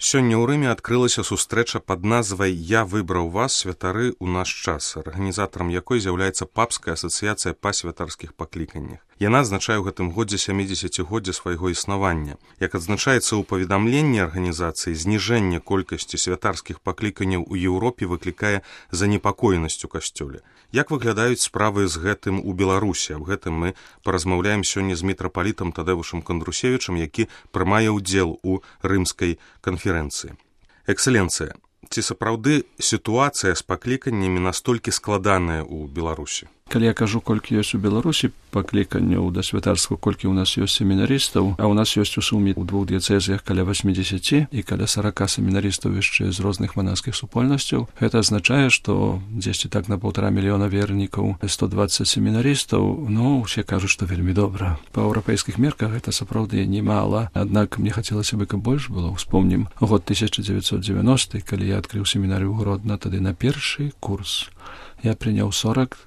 Сёння ў Рыме адкрылася сустрэча пад назвай «Я выбраў вас, святары, у наш час», арганізатарам якой з'яўляецца папская асацыяцыя па святарскіх пакліканнях. Яна адзначае ў гэтым годзе 70-годдзе свайго існавання. Як адзначаецца ў паведамленні арганізацыі, зніжэнне колькасці святарскіх пакліканняў у Еўропе выклікае занепакоенасць у касцёле. Як выглядаюць справы з гэтым у Беларусі? Аб гэтым мы паразмаўляем сёння з мітрапалітам Тадэвушам Кандрусевічам, які прымае ўдзел у рымскай канферэнцыі. Эксцэленцыя, ці сапраўды сітуацыя з пакліканнямі настолькі складаная ў Беларусі? Калі я кажу, колькі ёсць у Беларусі пакліканняў да святарства, колькі ў нас ёсць семінарыстаў, а ў нас ёсць у суме ў двух дыяцэзіях каля 80 і каля 40 семінарыстаў яшчэ з розных манаскіх супольнасцяў, гэта азначае, што дзесьці так на 1,5 мільёна вернікаў, 120 семінарыстаў, усе кажуць, што вельмі добра. Па еўрапейскіх мерках гэта сапраўды немала, аднак мне хацелася бы, каб больш было. Успомнім год 1990, калі я адкрыў семінарыю Гродна, тады на першы курс я прыняў 42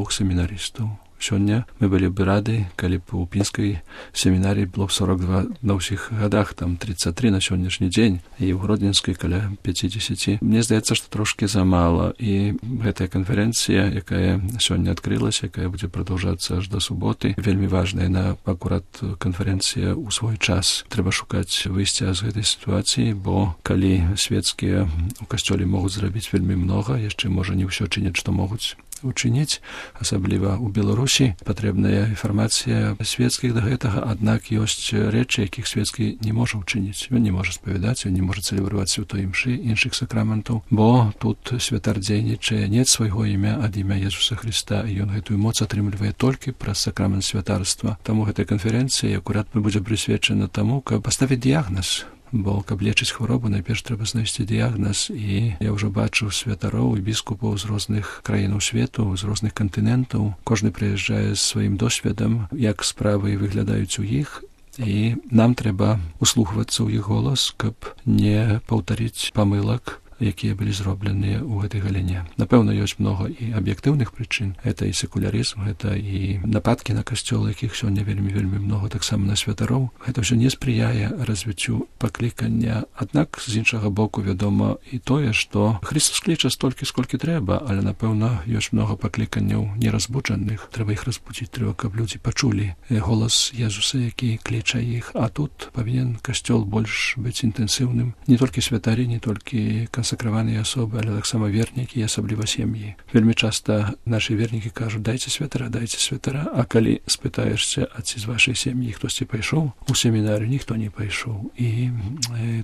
семінарыстаў. Сёння мы былі б рады, калі б у пінскай семінарыі было б 42 на ўсіх гадах, там 33 на сённяшні дзень, і ў гродненскай каля 50. Мне здаецца, што трошкі замала, і гэтая канферэнцыя, якая сёння адкрылася, якая будзе прадаўжацца аж да суботы, вельмі важная. На акурат канферэнцыя ў свой час. Трэба шукаць выйсця з гэтай сітуацыі, бо калі свецкія у касцёле могуць зрабіць вельмі многа, яшчэ можа не ўсё чыняць, што могуць учыніць, асабліва ў Беларусі патрэбная інфармацыя свецкіх да гэтага, аднак ёсць рэчы, якіх свецкі не можа ўчыніць. Ён не можа спавядаць, ён не можа цэлебраваць святой імшы, іншых сакраментаў, бо тут святар дзейнічае не ад свайго імя, ад імя Езуса Хрыста, і ён гэтую моц атрымлівае толькі праз сакрамент святарства. Таму гэтая канферэнцыя акурат будзе прысвечана таму, каб паставіць дыягназ. Бо, каб лечыць хваробу, найперш трэба знайсці дыягназ, і я ўжо бачу святароў і біскупаў з розных краінаў свету, з розных кантынентаў. Кожны прыязджае з сваім досведам, як справы выглядаюць у іх, і нам трэба услухвацца ў іх голас, каб не паўтарыць памылак, якія былі зробленыя ў гэтай галіне. Напэўна, ёсць многа і аб'ектыўных прычын. Гэта і секулярызм, гэта і нападкі на касцёл, якіх сёння вельмі многа, таксама на святароў. Гэта ўсё не спрыяе развіццю паклікання. Аднак, з іншага боку, вядома і тое, што Христос кліча столькі, сколькі трэба, але, напэўна, ёсць многа пакліканняў неразбуджаных. Трэба іх разбудзіць, трэба, каб людзі пачулі голас Езуса, які кліча іх. А тут павінен касцёл больш быць інтэнсіўным. Не толькі святары, не толькі сакраваныя асобы, але таксама вернікі і асабліва сем'і. Вельмі часта нашы вернікі кажуць, дайце святара, а калі спытаешся, а ці з вашай сем'і хтосьці пайшоў у семінарыю, ніхто не пайшоў. І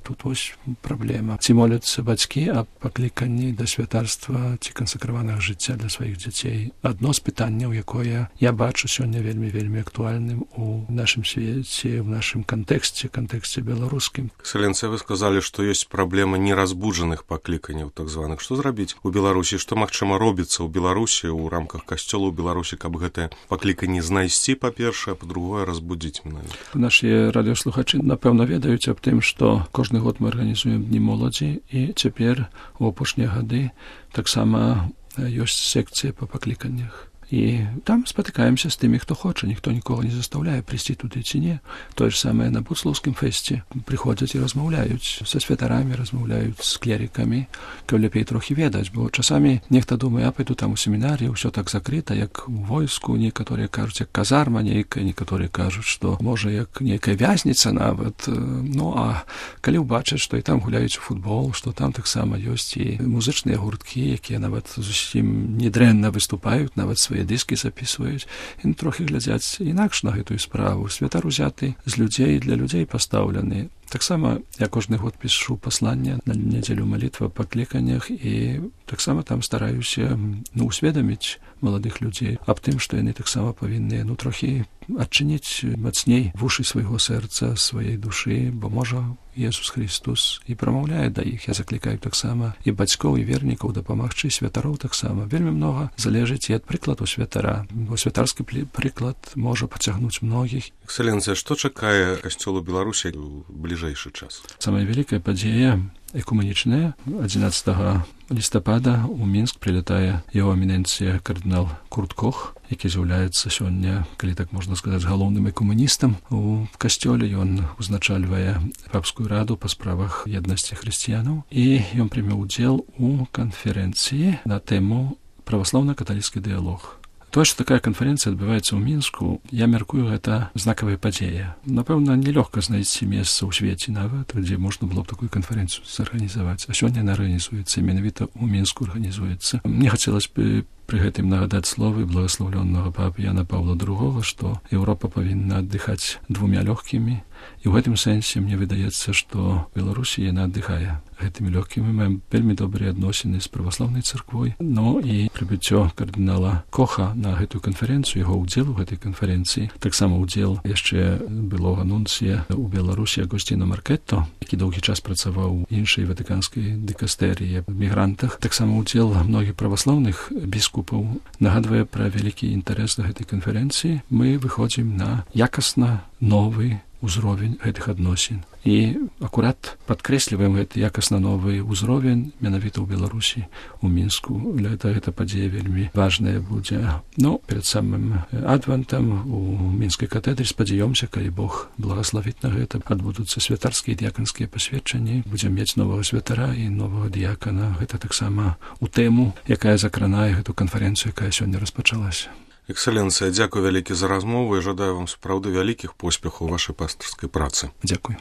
тут вось праблема. Ці моляцца бацькі аб пакліканні да святарства ці кансакраванага жыцця для сваіх дзяцей? Адно з пытанняў, якое я бачу сёння вельмі актуальным у нашым свеце, в нашым кантэксце беларускім. Эксцэленцыя, вы сказалі, што ёсць праблема неразбуджаных пакліканняў так званых. Што зрабіць у Беларусі? Што, магчыма, робіцца ў Беларусі ў рамках касцёла ў Беларусі, каб гэтае пакліканне знайсці, па-першае, а па-другое, разбудзіць менавіта? Нашы радыёслухачы, напэўна, ведаюць аб тым, што кожны год мы арганізуем дні моладзі, і цяпер у апошнія гады таксама ёсць секцыя па пакліканнях. І там спатыкаемся з тымі, хто хоча, ніхто нікога не застаўляе прыйсці туды ці не. Тое ж самае на Буцлаўскім фэсце. Прыходзяць і размаўляюць са святарамі, размаўляюць з клерікамі, каб лепей трохі ведаць, бо часамі нехта думае, а пайду там у семінарыі, ўсё так закрыта, як у войску, некаторыя кажуць, як казарма нейкая, некаторыя кажуць, што можа як нейкая вязніца нават. А калі ўбачаць, што і там гуляюць у футбол, што там таксама ёсць і музычныя гурткі, якія нават зусім недрэнна выступаюць, нават свае дыскі запісваюць, і трохі глядзяць інакш на гэтую справу. Святар узяты з людзей, для людзей пастаўлены. Таксама я кожны год пішу пасланне на нядзелю малітва па пакліканнях, і таксама там стараюся усведаміць маладых людзей аб тым, што яны таксама павінны трохі адчыніць мацней вушы свайго сэрца, сваёй душы, бо можа Езус Христос і прамаўляе да іх. Я заклікаю таксама і бацькоў, і вернікаў дапамагчы, святароў таксама. Вельмі многа залежыць і ад прыкладу святара, бо святарскі прыклад можа пацягнуць многіх. Эксцэленцыя, што чакае касцёл у Беларусі ў бліжэйшым бліжэйшы час? Самая вялікая падзея экумэнічная. 11 лістапада ў Мінск прилятае яго эміненцыя кардынал Курт Кох, які з'яўляецца сёння, калі так можна сказаць, галоўным экумэністам у касцёле. Ён узначальвае папскую раду па справах еднасці хрысціянаў, і ён прымеў удзел у канферэнцыі на тэму праваслаўна-каталіцкі дыялог. Тое, што такая канферэнцыя адбываецца ў Мінску, я мяркую, гэта знакавая падзея. Напэўна, нелёгка знайсці месца ў свеце нават, дзе можна было б такую канферэнцыю зарганізаваць. А сёння яна арганізуецца, менавіта ў Мінску арганізуецца. Мне хацелася б пры гэтым нагадаць словы благаслаўлённага папы Яна Паўла II, што Еўропа павінна аддыхаць двумя лёгкімі. І ў гэтым сэнсе мне выдаецца, што Беларусі яна аддыхае гэтымі лёгкімі. Мы маем вельмі добрыя адносіны з праваслаўнай царквой. Ну і прыбыццё кардынала Коха на гэтую канферэнцыю, яго ўдзел у гэтай канферэнцыі, таксама ўдзел яшчэ былога нунцыя ў Беларусі Агусціно Маркетто, які доўгі час працаваў у іншай ватыканскай дыкастэрыі аб мігрантах, таксама ўдзел многіх праваслаўных біскупаў нагадвае пра вялікі інтарэс да гэтай канферэнцыі. Мы выходзім на якасна новы узровень гэтых адносін. І акурат падкрэсліваем гэты якасна новы ўзровень менавіта ў Беларусі, у Мінску. Для гэта падзея вельмі важная будзе. Ну, перад самым адвентам у Мінскай катедры спадзяёмся, калі Бог благаславіць на гэта, адбудуцца святарскія дыяканскія пасведчанні. Будзем мець новага святара і новага дыякана. Гэта таксама у тэму, якая закранае гэту канферэнцыю, якая сёння распачалася. Экселенцыя, дзякуй вялікі за размову і жадаю вам сапраўды вялікіх поспехаў у вашай пастырскай працы. Дзякуй.